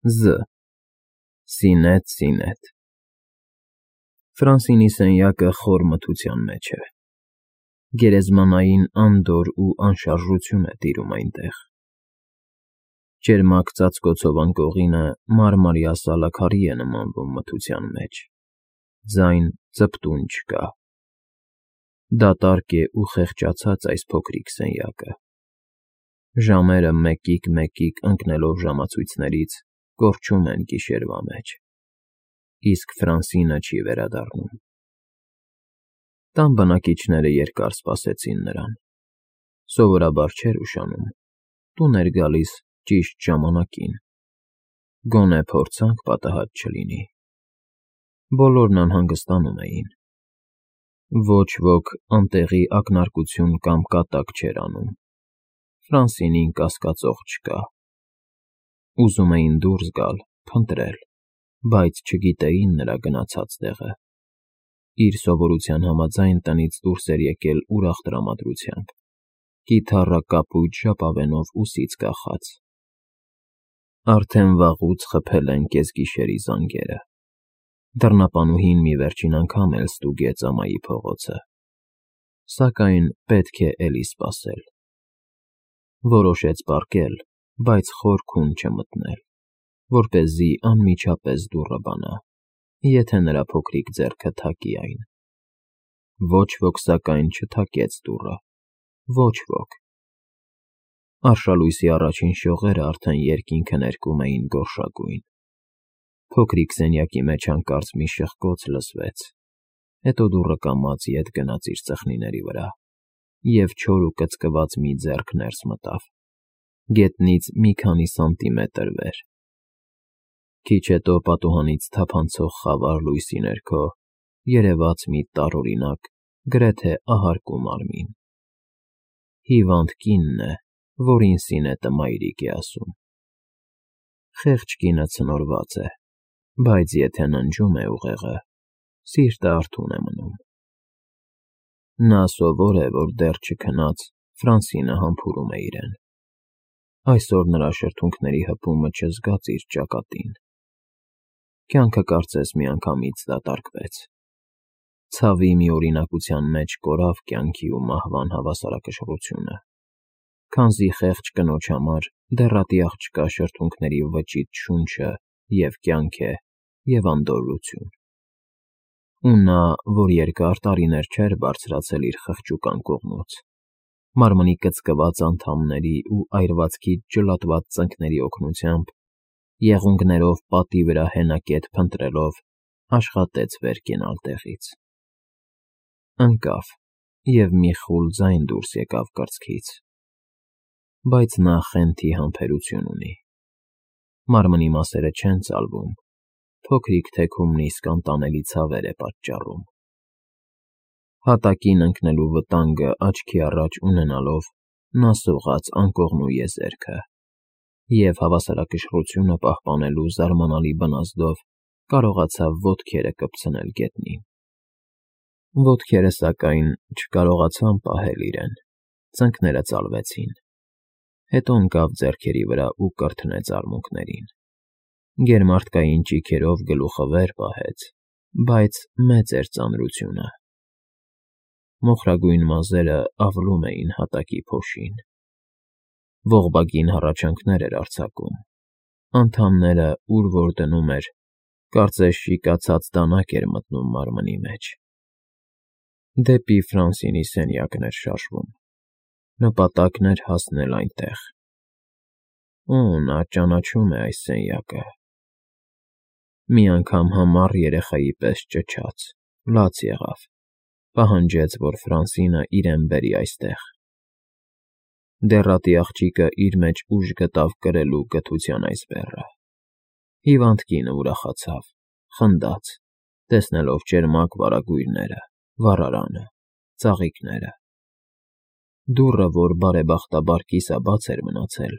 Զ. Սինետ։ Ֆրանսինի սենյակը խոր մթության մեջ է։ Գերեզմանային անդորր ու անշարժություն է տիրում այնտեղ։ Ճերմակ ծածկոցով անկողինը մարմարյա սալաքարի է նմանվում մթության մեջ, ձայն ձպտուն չկա։ Դատարկ է ու խեղճացած այս փոքրիկ սենյակը։ Ժամերը մեկիկ ընկնելով ժամացույցներից կորչում են գիշերվա մեջ, իսկ Ֆրանսինը չի վերադառնում։ Տան բնակիչները երկար սպասեցին նրան, սովորաբար չէր ուշանում, տուն էր գալիս ճիշտ ժամանակին, գոնե փորձանք պատահած չլինի։ Բոլորն անհանգստանում էին։ Ոչ ոք անտեղի ակնարկություն կամ կատակ չէր անում, Ֆրանսինին կասկածող չկա։ Ուզում էին դուրս գալ, փնտրել, բայց չգիտեին նրա գնացած տեղը։ Իր սովորության համաձայն տնից դուրս էր եկել ուրախ տրամադրությամբ, կիթառա կապույտ ժապավենով ուսից կախած։ Արդեն վաղուց խփել են կեսգիշերի զանգերը։ Դռնապանուհին մի վերջին անգամ էլ ստուգեց ամայի փողոցը, սակայն պետք է էլի սպասել։ Որոշեց պառկել, բայց խոր քուն չմտնել, որպեսզի անմիջապես դուռը բանա, եթե նրա փոքրիկ ձեռքը թակի այն։ Ոչ ոք սակայն չթակեց դուռը, ոչ ոք։ Արշալույսի առաջին շողերը արդեն երկինքը ներկում էին գորշագույն։ Փոքրիկ սենյակի մեջ հանկարծ մի շխկոց լսվեց, հետո դուռը կամաց ետ գնաց իր ծխնիների վրա, և չոր ու կծկված մի ձեռք ներս մտավ, գետնից մի քանի սանտիմետր վեր։ Քիչ հետո պատուհանից թափանցող խավար լույսի ներքո երևաց մի տարօրինակ, գրեթե ահարկու մարմին։ Հիվանդ կինն է, որին Սինետը մայրիկ է ասում։ Խեղճ կինը ցնորված է, բայց եթե ննջում է ուղեղը, սիրտը արթուն է մնում։ Նա սովոր է, որ դեռ չքնած Ֆրանսինը համբուրում է իրեն։ Այսօր նրա շրթունքների հպումը չզգաց իր ճակատին։ Կյանքը կարծես միանգամից դատարկվեց։ Ցավի մի օրինակության մեջ կորավ կյանքի ու մահվան հավասարակշռությունը, քանզի խեղճ կնոջ համար դեռատի աղջկա շրթունքների վճիտ շունչը և կյանք է, և անդորրություն։ Ու նա, որ երկար տարիներ չէր բարձրացել իր խղճուկ անկողնուց, մարմնի կծկված անդամների ու այրվածքից ջլատված ծնկների օգնությամբ, եղունգներով պատի վրա հենակետ փնտրելով, աշխատեց վեր կենալ տեղից։ Ընկավ և մի խուլ ձայն դուրս եկավ կրծքից, բայց նա խենթի համբերություն ունի։ Մարմնի մասերը չեն ծալվում, փոքրիկ թեքումն իսկ անտանելի ցավեր է պատճառում։ Հատակին ընկնելու վտանգը աչքի առաջ ունենալով, նա սողաց անկողնու եզերքը և հավասարակշռությունը պահպանելու զարմանալի բնազդով կարողացավ ոտքերը կպցնել գետնին։ Ոտքերը, սակայն, չկարողացան պահել իրեն, ծնկները ծալվեցին։ Հետո ընկավ ձեռքերի վրա ու կրթնեց արմունկներին։ Գերմարդկային ճիգերով գլուխը վեր պահեց, բայց մեծ էր ծանրությունը։ Մոխրագույն մազերը ավլում էին հատակի փոշին։ Ողբագին հառաչանքներ էր արձակում։ Անդամները ուր որ դնում էր, կարծես շիկացած դանակ էր մտնում մարմնի մեջ։ Դեպի Ֆրանսինի սենյակն էր շարժվում։ Նպատակն էր հասնել այնտեղ։ Օ, նա ճանաչում է այս սենյակը։ Մի անգամ համառ երեխայի պես ճչաց, լաց եղավ, պահանջեց, որ Ֆրանսինը իրեն բերի այստեղ։ Դեռատի աղջիկը իր մեջ ուժ գտավ կրելու գթության այս բեռը։ Հիվանդ կինը ուրախացավ, խնդաց, տեսնելով ճերմակ վարագույրները, վառարանը, ծաղիկները։ Դուռը, որ բարեբախտաբար կիսաբաց էր մնացել,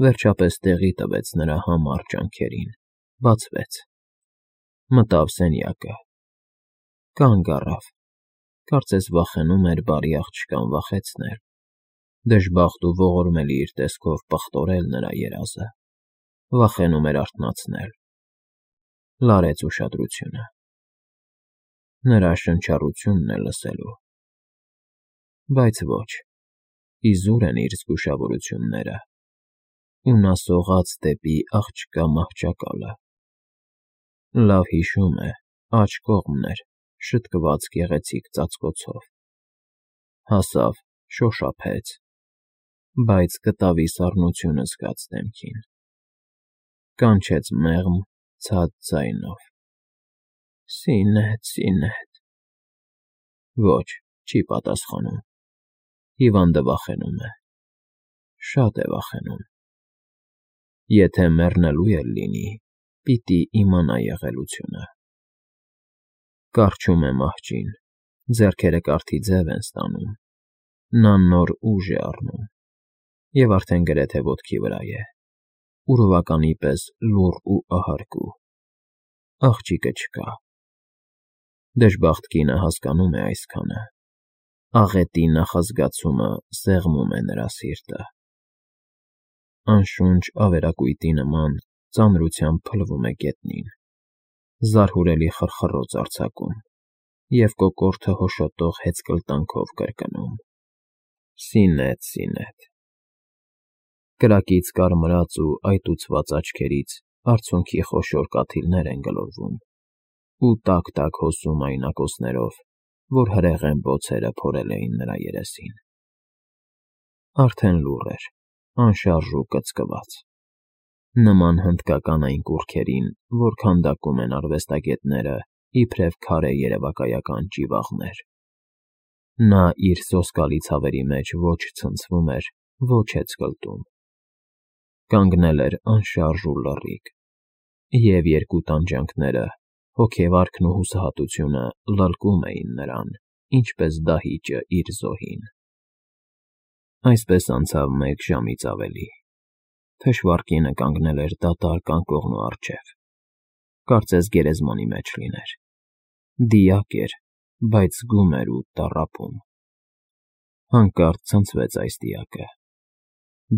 վերջապես տեղի տվեց նրա համառ ջանքերին, բացվեց։ Մտավ սենյակը։ Կանգ առավ, կարծես վախենում էր բարի աղջկան վախեցնել, դժբախտ ու ողորմելի իր տեսքով պղտորել նրա երազը։ վախենում էր արթնացնել, լարեց ուշադրությունը։ Նրա շնչառությունն է լսելու, բայց ոչ, իզուր են իր զգուշավորությունները, ու նա սողաց դեպի աղջկա մահճակալը։ Լավ հիշում է, աջ կողմն էր, շտկված գեղեցիկ ծածկոցով։ Հասավ, շոշափեց, բայց կտավի սառնությունը զգաց դեմքին։ Կանչեց մեղմ, ցած ձայնով. «Սինեթ, Սինեթ»։ Ոչ, չի պատասխանում։ Հիվանդը վախենում է, շատ է վախենում։ Եթե մեռնելու էլ լինի, պիտի իմանա եղելությունը։ Կառչում է մահճին, ձեռքերը կարթի ձև են ստանում, նա նոր ուժ է առնում, և արդեն գրեթե ոտքի վրա է, ուրվականի պես լուռ ու ահարկու։ Աղջիկը չկա։ Դժբախտ կինը հասկանում է այսքանը։ Աղետի նախազգացումը սեղմում է նրա սիրտը։ Անշունչ ավերակույտի նման ծանրությամբ փլվում է գետնին, զարհուրելի խռխռոց արձակում և կոկորդը հոշոտող հեծկլտանքով կրկնում. «Սինեթ, Սինեթ»։ Կրակից կարմրած ու այտուցված աչքերից արցունքի խոշոր կաթիլներ են գլորվում ու տաք-տաք հոսում այն ակոսներով, որ հրեղեն բոցերը փորել էին նրա երեսին։ Արդեն լուռ էր, անշարժ ու կծկված, նման հնդկական այն կուռքերին, որ քանդակում են արվեստագետները իբրև քարե երևակայական ճիվաղներ։ Նա իր սոսկալի ցավերի մեջ ոչ ցնցվում էր, ոչ հեծկլտում։ Կանգնել էր անշարժ ու լռիկ, և երկու տանջանքները, հոգեվարքն ու հուսահատությունը լլկում էին նրան, ինչպես դահիճը իր զոհին։ Այսպես անցավ 1 ժամից ավելի։ Թշվառ կինը կանգնել էր դատարկ անկողնու առջև, կարծես գերեզմանի մեջ լիներ։ Դիակ էր, բայց զգում էր ու տառապում։ Հանկարծ ցնցվեց այս դիակը։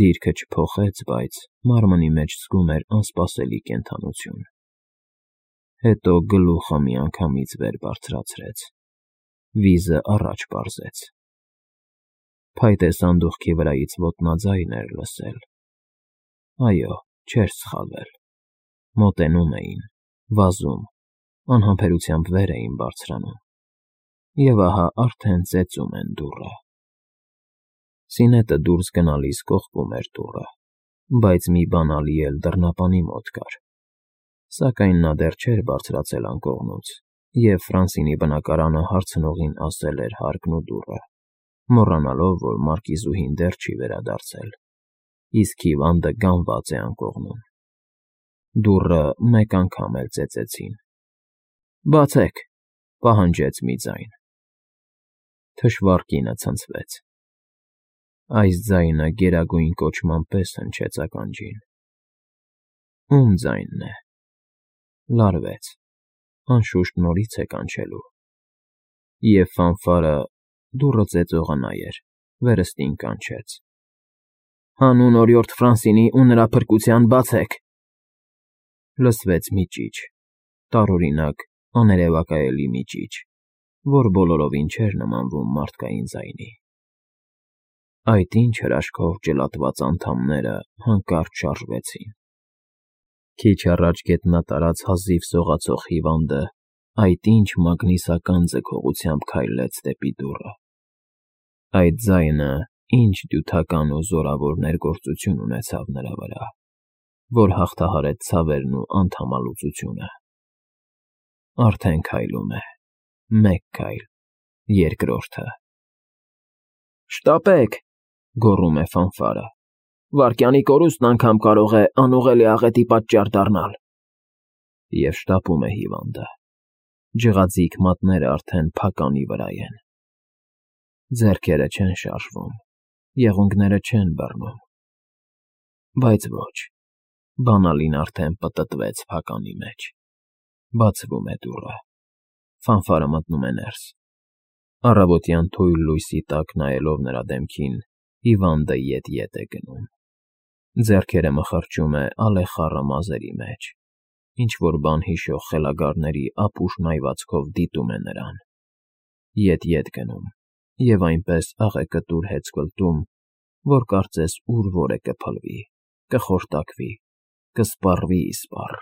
Դիրքը չփոխեց, բայց մարմնի մեջ զգում էր անսպասելի կենդանություն։ Հետո գլուխը միանգամից վեր բարձրացրեց, վիզը առաջ պարզեց։ Փայտե սանդուղքի վրայից ոտնաձայն էր լսել։ Այո, չէր սխալվել։ Մոտենում էին, վազում, անհամբերությամբ վեր էին բարձրանում։ Եվ ահա արդեն ծեծում են դուռը։ Սինետը դուրս գնալիս կողպում էր դուռը, բայց մի բանալի էլ դռնապանի մոտ կար։ Սակայն նա դեռ չէր բարձրացել անկողնուց, և Ֆրանսինի բնակարանը հարցնողին ասել էր հարկն ու դուռը, մոռանալով, որ մարկիզուհին դեռ չի վերադարձել, իսկ հիվանդը գանված է անկողնում։ Դուռը մեկ անգամ էլ ծեծեցին։ «Բացեք», պահանջեց մի ձայն։ Թշվառ կինը ցնցվեց։ Այս ձայնը գերագույն կոչման պես հնչեց ականջին։ Ո՞ւմ ձայնն է։ Լարվեց, անշուշտ նորից է կանչելու։ Եվ ֆանֆարը, դուռը ծեծողը նա էր, վերստին կանչեց. «Հանուն օրիորդ Ֆրանսինի ու նրա փրկության բացեք»։ Լսվեց մի ճիչ, տարօրինակ, աներևակայելի մի ճիչ, որ բոլորովին չէր նմանվում մարդկային ձայնի։ Այդ ինչ հրաշքով ջլատված անդամները հանկարծ շարժվեցին։ Քիչ առաջ գետնատարած հազիվ սողացող հիվանդը այդ ինչ մագնիսական ձգողությամբ քայլեց դեպի դուռը։ Այդ ձայնը ինչ դյութական ու զորավոր ներգործություն ունեցավ նրա վրա, որ հաղթահարեց ցավերն ու անդամալուծությունը։ Արդեն քայլում է, մեկ քայլ, երկրորդը։ «Շտապեք», գոռում է ֆանֆարը։ «Վայրկյանի կորուստն անգամ կարող է անուղղելի աղետի պատճառ դառնալ»։ Եվ շտապում է հիվանդը։ Ջղաձիգ մատները արդեն փականի վրա են։ Ձեռքերը չեն շարժվում, եղունգները չեն բռնում։ Բայց ոչ, բանալին արդեն պտտվեց փականի մեջ։ Բացվում է դուռը։ Ֆանֆարը մտնում է ներս։ Առավոտյան թույլ լույսի տակ նայելով նրա դեմքին, հիվանդը ետ է գնում։ Ձեռքերը մխրճում է ալեխառը մազերի մեջ, ինչ֊որ բան հիշող խելագարների ապուշ մայվածքով դիտում է նրան, ետ գնում և այնպես աղեկտուր հեծկլտում, որ կարծես ուր֊որ է կփլվի, կխորտակվի, կսպառվի իսպառ։